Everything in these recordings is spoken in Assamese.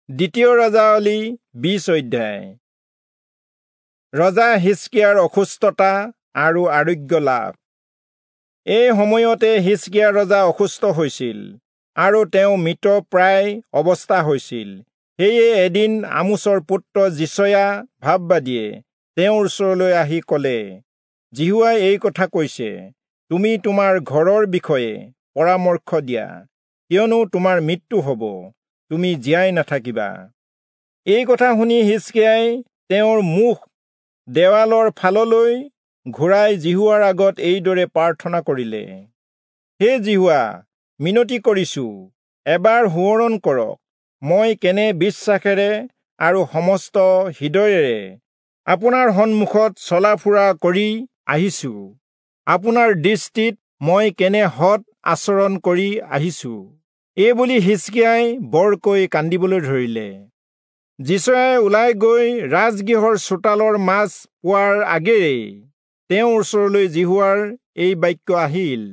দ্বিতীয় ৰাজাৱলী 20 অধ্যায়। ৰজা হিজকিয়াৰ অসুস্থতা আৰু আৰোগ্য লাভ। এই সময়তে হিজকিয়া ৰজা অসুস্থ হৈছিল আৰু তেওঁ মৃতপ্ৰায় অৱস্থা হৈছিল। সেয়ে এদিন আমোচৰ পুত্ৰ যিচয়া ভাববাদীয়ে তেওঁৰ ওচৰলৈ আহি ক'লে, যিহোৱাই এই কথা কৈছে, তুমি তোমাৰ ঘৰৰ বিষয়ে পৰামৰ্শ দিয়া, কিয়নো তোমাৰ মৃত্যু হ'ব, তুমি জীয়াই নাথাকিবা। এই কথা শুনি হিজকিয়াই তেওঁৰ মুখ দেৱালৰ ফাললৈ ঘূৰাই যিহোৱাৰ আগত এইদৰে প্ৰাৰ্থনা কৰিলে, হে যিহোৱা, মিনতি কৰিছো, এবাৰ সোঁৱৰণ কৰক, মই কেনে বিশ্বাসেৰে আৰু সমস্ত হৃদয়েৰে আপোনাৰ সন্মুখত চলা ফুৰা কৰি আহিছো, আপোনাৰ দৃষ্টিত মই কেনে সৎ আচৰণ কৰি আহিছো। এইবুলি হিজকিয়াই বৰকৈ কান্দিবলৈ ধৰিলে। যিচয়াই ওলাই গৈ ৰাজগৃহৰ চোতালৰ মাজ পোৱাৰ আগেয়েই তেওঁৰ ওচৰলৈ যিহোৱাৰ এই বাক্য আহিল,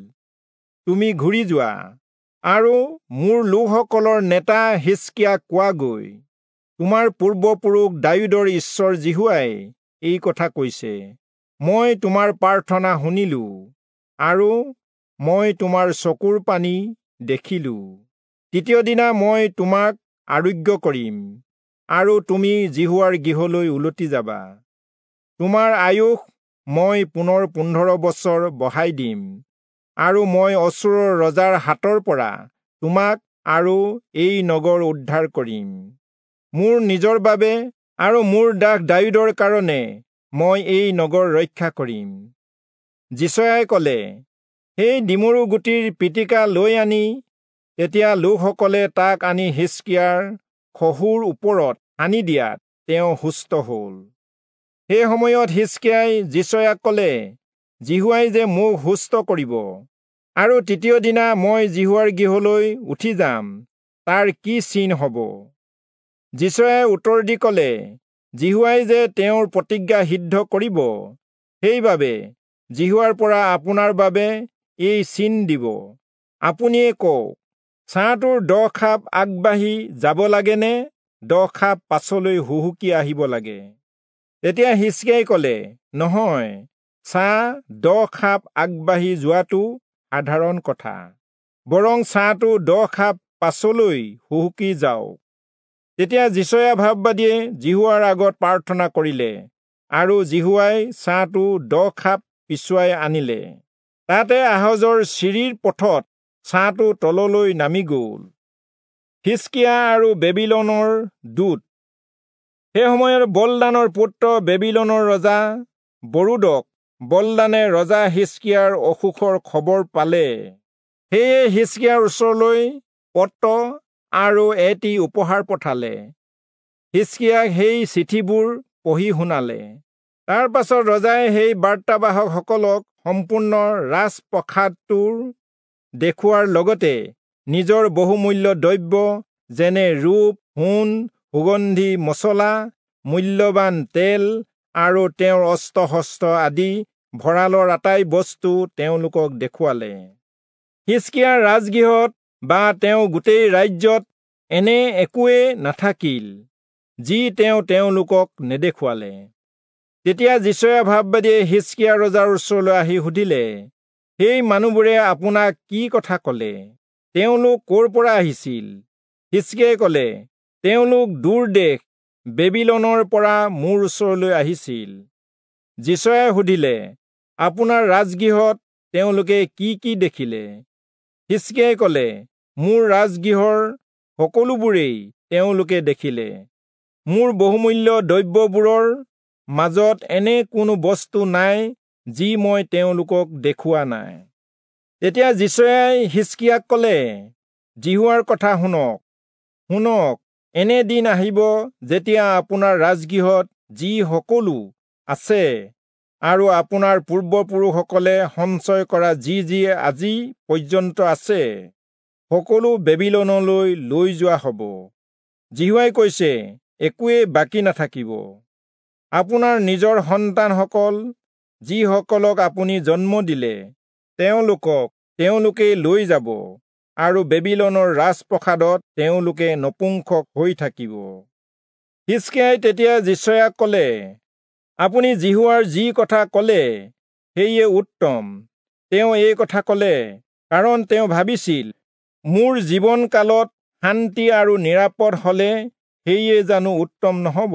তুমি ঘূৰি যোৱা আৰু মোৰ লোকসকলৰ নেতা হিজকিয়াক কোৱাগৈ, তোমাৰ পূৰ্বপুৰুষ দায়ূদৰ ঈশ্বৰ যিহোৱাই এই কথা কৈছে, মই তোমাৰ প্ৰাৰ্থনা শুনিলো আৰু মই তোমাৰ চকুৰ পানী দেখিলো। তৃতীয় দিনা মই তোমাক আৰোগ্য কৰিম আৰু তুমি যিহোৱাৰ গৃহলৈ উলটি যাবা। তোমাৰ আয়ুস মই পুনৰ 15 বছৰ বঢ়াই দিম আৰু মই অচূৰৰ ৰজাৰ হাতৰ পৰা তোমাক আৰু এই নগৰ উদ্ধাৰ কৰিম। মোৰ নিজৰ বাবে আৰু মোৰ দাস দায়ূদৰ কাৰণে মই এই নগৰ ৰক্ষা কৰিম। যিচয়াই ক'লে, সেই ডিমৰু গুটিৰ পিটিকা লৈ আনি, তেতিয়া লোকসকলে তাক আনি হিজকিয়াৰ খহুৰ ওপৰত সানি দিয়াত তেওঁ সুস্থ হ'ল। সেই সময়ত হিজকিয়াই যিচয়াক ক'লে, যিহোৱাই যে মোক সুস্থ কৰিব আৰু তৃতীয় দিনা মই যিহোৱাৰ গৃহলৈ উঠি যাম, তাৰ কি চিন হ'ব? যিচয়াই উত্তৰ দি ক'লে, যিহোৱাই যে তেওঁৰ প্ৰতিজ্ঞা সিদ্ধ কৰিব, সেইবাবে যিহোৱাৰ পৰা আপোনাৰ বাবে এই চিন দিব। আপুনিয়ে কওক, ছাঁটোৰ 10 খাপ আগবাঢ়ি যাব লাগে নে 10 খাপ পাছলৈ হুহুকি আহিব লাগে? তেতিয়া হিজকিয়াই ক'লে, নহয়, ছাঁ 10 খাপ আগবাঢ়ি যোৱাটো সাধাৰণ কথা, বৰং ছাঁটো 10 খাপ পাছলৈ হুহুকি যাওক। তেতিয়া যিচয়া ভাববাদীয়ে যিহোৱাৰ আগত প্ৰাৰ্থনা কৰিলে আৰু যিহোৱাই ছাঁটো 10 খাপ পিছুৱাই আনিলে। তাতে আহজৰ চিৰিৰ পথত ছাঁটো তললৈ নামি গ'ল। হিজকিয়া আৰু বেবিলনৰ দূত। সেই সময়ত বলদানৰ পুত্ৰ বেবিলনৰ ৰজা বৰোদক বলদানে ৰজা হিজকিয়াৰ অসুখৰ খবৰ পালে। সেয়ে হিজকিয়াৰ ওচৰলৈ পত্ৰ আৰু এটি উপহাৰ পঠালে। হিজকিয়াক সেই চিঠিবোৰ পঢ়ি শুনালে। তাৰ পাছত ৰজাই সেই বাৰ্তাবাহকসকলক সম্পূৰ্ণ ৰাজপ্ৰসাদটোৰ দেখুওৱাৰ লগতে নিজৰ বহুমূল্য দ্ৰব্য যেনে ৰূপ, সোণ, সুগন্ধি মছলা, মূল্যৱান তেল আৰু তেওঁৰ অস্ত্ৰ-শস্ত্ৰ আদি ভঁৰালৰ আটাই বস্তু তেওঁলোকক দেখুৱালে। হিজকিয়াৰ ৰাজগৃহত বা তেওঁ গোটেই ৰাজ্যত এনে একোৱে নাথাকিল যি তেওঁ তেওঁলোকক নেদেখুৱালে। তেতিয়া যিচয়া ভাববাদীয়ে হিজকিয়া ৰজাৰ ওচৰলৈ আহি সুধিলে, সেই মানুহবোৰে আপোনাক কি কথা ক'লে? তেওঁলোক ক'ৰ পৰা আহিছিল? হিজকিয়াই ক'লে, তেওঁলোক দূৰ দেশ বেবিলনৰ পৰা মোৰ ওচৰলৈ আহিছিল। যিচয়াই সুধিলে, আপোনাৰ ৰাজগৃহত তেওঁলোকে কি কি দেখিলে? হিজকিয়াই ক'লে, মোৰ ৰাজগৃহৰ সকলোবোৰেই তেওঁলোকে দেখিলে। মোৰ বহুমূল্য দ্ৰব্যবোৰৰ মাজত এনে কোনো বস্তু নাই যি মই তেওঁলোকক দেখুওৱা নাই। তেতিয়া যিচয়াই হিজকিয়াক ক'লে, যিহোৱাৰ কথা শুনক, শুনক, এনে দিন আহিব যেতিয়া আপোনাৰ ৰাজগৃহত যি সকলো আছে আৰু আপোনাৰ পূৰ্বপুৰুষসকলে সঞ্চয় কৰা যি যি আজি পৰ্যন্ত আছে, সকলো বেবিলনলৈ লৈ যোৱা হ'ব। যিহোৱাই কৈছে, একোৱেই বাকী নাথাকিব। আপোনাৰ নিজৰ সন্তানসকল, যিসকলক আপুনি জন্ম দিলে, তেওঁলোকক তেওঁলোকেই লৈ যাব আৰু বেবিলনৰ ৰাজপ্ৰসাদত তেওঁলোকে নপুংসক হৈ থাকিব। হিষ্কিয়াই তেতিয়া যিচয়াক কলে, আপুনি যিহোৱাৰ যি কথা কলে সেয়ে উত্তম। তেওঁ এই কথা কলে, কাৰণ তেওঁ ভাবিছিল, মোৰ জীৱনকালত শান্তি আৰু নিৰাপদ হলে সেয়ে জানো উত্তম নহব।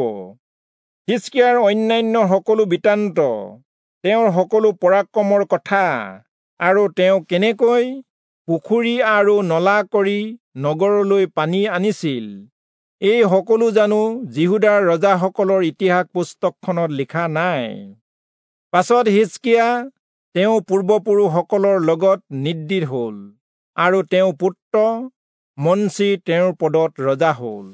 হিষ্কিয়াৰ অন্যান্য সকলো বৃত্তান্ত, তেওঁৰ সকলো পৰাক্ৰমৰ কথা, আৰু তেওঁ কেনেকৈ পুখুৰী আৰু নলা কৰি নগৰলৈ পানী আনিছিল, এই সকলো জানো যিহূদাৰ ৰজাসকলৰ ইতিহাস পুস্তকখনত লিখা নাই? পাছত হিষ্কিয়া তেওঁ পূৰ্বপুৰুষসকলৰ লগত নিদ্ৰিত হল, আৰু তেওঁ পুত্ৰ মনচি তেওঁৰ পদত ৰজা হল।